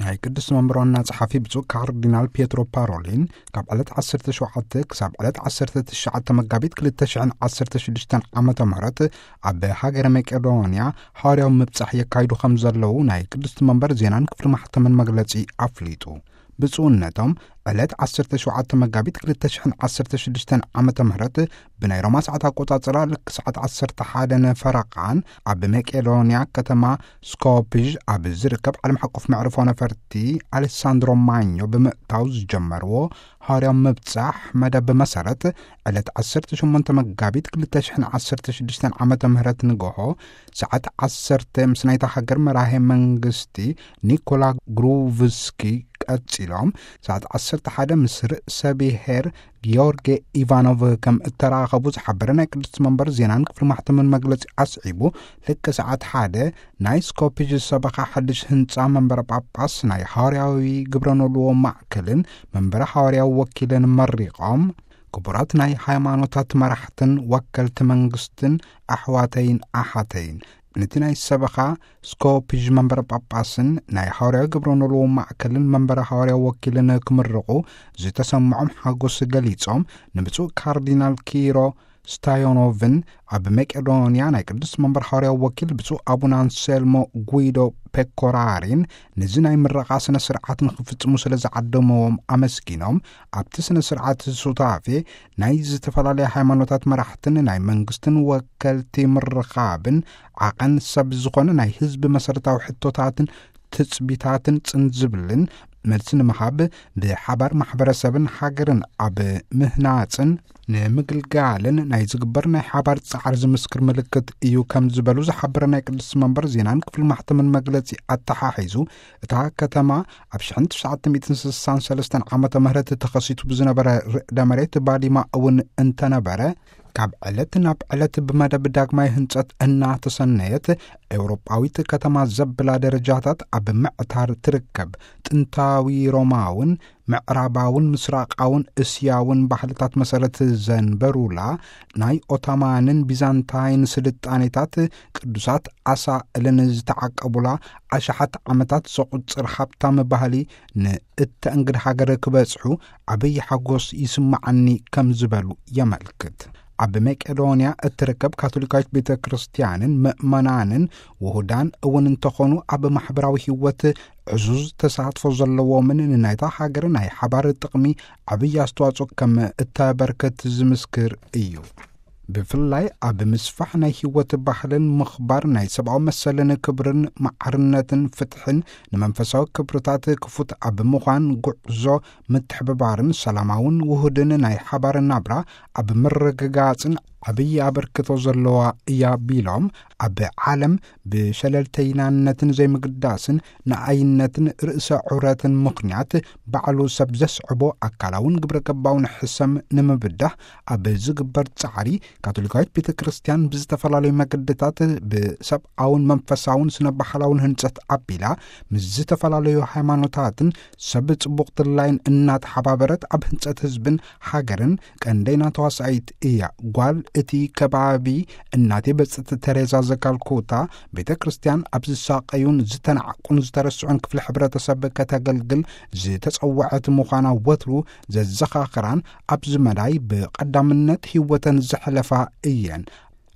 ናይ ቅዱስ መንበር ዋና ጸሓፊ ብፁዕ ካርዲናል ፒየትሮ ፓሮሊን ካብ ዕለት ዓሰርተ ሸውዓተ ክሳብ ዕለት ዓሰርተ ትሽዓተ መጋቢት ክልተ ሽሕን ዓሰርተ ሽዱሽተን ዓመተ ምህረት ኣብ ሃገረ መቄዶንያ ሓዋርያዊ ምብጻሕ የካይዱ ከም ዘለዉ ናይ ቅዱስ መንበር ዜናን ክፍሊ ማሕተምን መግለጺ ኣፍሊጡ። ብፁዕነቶም ዕለት ዓሰርተ ሸውዓተ መጋቢት ክልተ ሽሕን ዓሰርተ ሽዱሽተን ዓመተ ምህረት ብናይ ሮማ ሰዓት ኣቆጻጽራ ልክ ሰዓት ዓሰርተ ሓደ ንፈረቓን ኣብ መቄዶንያ ከተማ ስኮፕዥ ኣብ ዝርከብ ዓለም ሓቆፍ መዕርፎ ነፈርቲ ኣሌሳንድሮ ማኞ ብምእታው ዝጀመርዎ ሃዋርያዊ ምብጻሕ መደብ መሰረት ዕለት ዓሰርተ ሸሞንተ መጋቢት ክልተ ሽሕን ዓሰርተ ሽዱሽተን ዓመተ ምህረት ንግሆ ሰዓት ዓሰርተ ምስ ናይታ ሃገር መራሄ መንግስቲ ኒኮላ ግሩቭስኪ ቀጺሎም ሰዓት ዓሰርተ ሓደ ምስ ርእሰ ብሔር ጊዮርጌ ኢቫኖቭ ከም እተራኸቡ ዝሓበረ ናይ ቅድስቲ መንበር ዜናን ክፍሊ ማሕተምን መግለጺ ኣስዒቡ፣ ልክ ሰዓት ሓደ ናይ ስኮፕጅ ሰበኻ ሓድሽ ህንጻ መንበረ ጳጳስ ናይ ሃዋርያዊ ግብረ ኖልዎ ማዕከልን መንበረ ሃዋርያዊ ወኪልን መሪቖም፣ ክቡራት ናይ ሃይማኖታት መራሕትን ወከልቲ መንግስትን ኣሕዋተይን ኣሓተይን፣ ነቲ ናይ ሰበኻ ስኮፕጅ መንበረ ጳጳስን ናይ ሃዋርያዊ ግብረ ኖልዎ ማዕከልን መንበረ ሃዋርያዊ ወኪልን ክምርቑ ዝተሰምዖም ሓጎስ ገሊጾም፣ ንብፁዕ ካርዲናል ኪሮ ስታዮኖቭን ኣብ መቄዶንያ ናይ ቅዱስ መንበር ሃዋርያዊ ወኪል ብፁዕ ኣቡነ ኣንሴልሞ ጉይዶ ፔኮራሪን ነዚ ናይ ምረቓ ስነ ስርዓት ንኽፍጽሙ ስለ ዝዓደመዎም ኣመስጊኖም፣ ኣብቲ ስነ ስርዓት ሱታፌ ናይ ዝተፈላለያ ሃይማኖታት መራሕትን ናይ መንግስትን ወከልቲ ምርኻብን ዓቐን ሰብ ዝኾነ ናይ ህዝቢ መሰረታዊ ሕቶታትን ትጽቢታትን ጽን ዝብልን መልሲ ንምሃብ ብሓባር ማሕበረሰብን ሃገርን ኣብ ምህናጽን ንምግልጋልን ናይ ዝግበር ናይ ሓባር ጻዕሪ ዝምስክር ምልክት እዩ ከም ዝበሉ ዝሓበረ ናይ ቅዱስ መንበር ዜናን ክፍሊ ማሕተምን መግለጺ ኣተሓሒዙ፣ እታ ከተማ ኣብ ሽሕን ትሽዓተ ሚእትን ስሳን ሰለስተን ዓመተ ምህረት ተኸሲቱ ብዝነበረ ርእደ መሬት ባዲማ እውን እንተነበረ፣ ካብ ዕለት ናብ ዕለት ብመደብ ዳግማይ ህንጸት እናተሰነየት፣ ኤውሮጳዊት ከተማ ዘብላ ደረጃታት ኣብ ምዕታር ትርከብ። ጥንታዊ ሮማውን ምዕራባውን ምስራቃውን እስያውን ባህልታት መሰረት ዘንበሩላ፣ ናይ ኦቶማንን ቢዛንታይን ስልጣኔታት ቅዱሳት ኣሳእልን ዝተዓቀቡላ፣ ኣሽሓት ዓመታት ዘቑጽር ሃብታም ባህሊ ንእተእንግድ ሃገር ክበጽሑ ዓብዪ ሓጎስ ይስምዓኒ ከም ዝበሉ የመልክት። ኣብ መቄዶንያ እትርከብ ካቶሊካዊት ቤተ ክርስቲያንን ምእመናንን ውሁዳን እውን እንተኾኑ፣ ኣብ ማሕበራዊ ህይወት ዕዙዝ ተሳትፎ ዘለዎምን ንናይታ ሃገር ናይ ሓባር ጥቕሚ ዓብዪ ኣስተዋጽኦ ከም እተበርክት ዝምስክር እዩ። ብፍላይ ኣብ ምስፋሕ ናይ ህይወት ባህልን ምኽባር ናይ ሰብኣዊ መሰልን ክብርን ማዕርነትን ፍትሕን ንመንፈሳዊ ክብርታት ክፉት ኣብ ምዃን ጉዕዞ ምትሕብባርን ሰላማውን ውሁድን ናይ ሓባር ናብራ ኣብ ምርግጋጽን ዓብዪ ኣበርክቶ ዘለዋ እያ ቢሎም፣ ኣብ ዓለም ብሸለልተይናነትን ዘይምግዳስን ንኣይነትን ርእሰ ዑረትን ምኽንያት ባዕሉ ሰብ ዘስዕቦ ኣካላውን ግብረ ገባውን ሕሰም ንምብዳህ ኣብ ዝግበር ጻዕሪ፣ ካቶሊካዊት ቤተ ክርስቲያን ብዝተፈላለዩ መገድታት ብሰብኣውን መንፈሳውን ስነ ባህላውን ህንጸት ኣቢላ ምስ ዝተፈላለዩ ሃይማኖታትን ሰብ ጽቡቕ ድላይን እናተሓባበረት ኣብ ህንጸት ህዝብን ሃገርን ቀንደይና ተዋሳኢት እያ። ጓል እቲ ከባቢ እናቴ ብጽእቲ ተሬዛ ዘካልኩታ ቤተ ክርስቲያን ኣብ ዝሳቀዩን ዝተናዕቁን ዝተረስዑን ክፍሊ ሕብረተሰብ ከተገልግል ዝተጸወዐት ምዃና ወትሩ ዘዘኻኽራን ኣብዚ መዳይ ብቐዳምነት ህይወተን ዘሕለፋ እየን።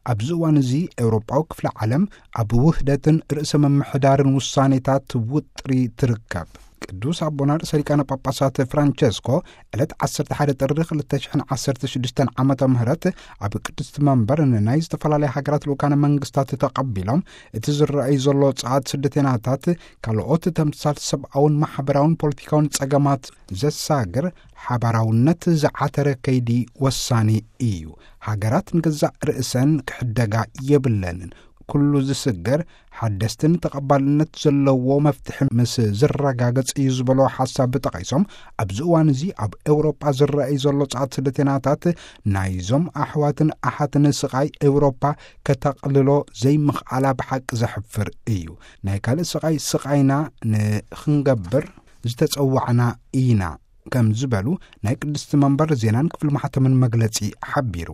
ኣብዚ እዋን እዚ ኤውሮጳዊ ክፍለ ዓለም ኣብ ውህደትን ርእሰ ምምሕዳርን ውሳኔታት ውጥሪ ትርከብ። ቅዱስ ኣቦና ርእሰ ሊቃነ ጳጳሳት ፍራንቸስኮ ዕለት ዓሰርተ ሓደ ጥሪ ክልተ ሽሕን ዓሰርተ ሽዱሽተን ዓመተ ምህረት ኣብ ቅድስቲ መንበር ንናይ ዝተፈላለያ ሃገራት ልኡካነ መንግስታት ተቐቢሎም፣ እቲ ዝረኣይ ዘሎ ጸዓት ስደተይናታት ካልኦት ተምሳል ሰብኣውን ማሕበራውን ፖለቲካውን ጸገማት ዘሳግር ሓባራውነት ዝዓተረ ከይዲ ወሳኒ እዩ። ሃገራት ንገዛእ ርእሰን ክሕደጋ የብለንን። ኩሉ ዝስገር ሓደስትን ተቐባልነት ዘለዎ መፍትሒ ምስ ዝረጋገጽ እዩ ዝበሎ ሓሳብ ጠቒሶም፣ ኣብዚ እዋን እዚ ኣብ ኤውሮጳ ዝረኣይ ዘሎ ጸዓት ስደተይናታት ናይዞም ኣሕዋትን ኣሓትን ስቓይ ኤውሮጳ ከተቕልሎ ዘይምኽኣላ ብሓቂ ዘሕፍር እዩ። ናይ ካልእ ስቓይ ስቓይና ንኽንገብር ዝተጸዋዕና ኢና ከም ዝበሉ ናይ ቅድስቲ መንበር ዜናን ክፍሊ ማሕተምን መግለጺ ሓቢሩ።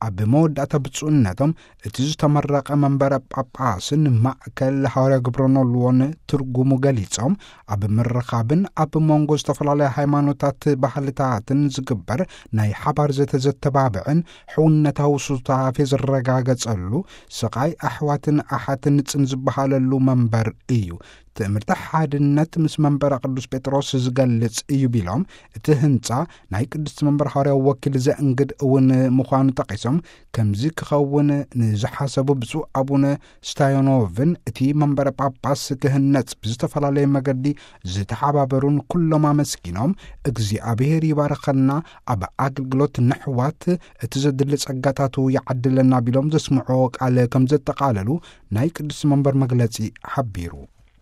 ኣብ መወዳእታ ብፁዕነቶም እቲ ዝተመረቐ መንበረ ጳጳስን ማእከል ሃዋርያ ግብረ ኖልዎን ትርጉሙ ገሊጾም፣ ኣብ ምርኻብን ኣብ መንጎ ዝተፈላለያ ሃይማኖታት ባህልታትን ዝግበር ናይ ሓባር ዘተ ዘተባብዕን ሕውነታዊ ሱታፌ ዝረጋገጸሉ፣ ስቓይ ኣሕዋትን ኣሓትን ጽን ዝበሃለሉ መንበር እዩ። ትእምርቲ ሓድነት ምስ መንበረ ቅዱስ ጴጥሮስ ዝገልጽ እዩ ቢሎም፣ እቲ ህንጻ ናይ ቅድስቲ መንበር ሃዋርያዊ ወኪል ዘእንግድ እውን ምዃኑ ጠቒሶም፣ ከምዚ ክኸውን ንዝሓሰቡ ብፁዕ ኣቡነ ስታዮኖቭን እቲ መንበረ ጳጳስ ክህነጽ ብዝተፈላለየ መገዲ ዝተሓባበሩን ኩሎም ኣመስጊኖም፣ እግዚኣብሔር ይባርኸና፣ ኣብ ኣገልግሎት ነሕዋት እቲ ዘድሊ ጸጋታቱ ይዓድለና ቢሎም ዘስምዕዎ ቃል ከም ዘጠቓለሉ ናይ ቅድስቲ መንበር መግለጺ ሓቢሩ።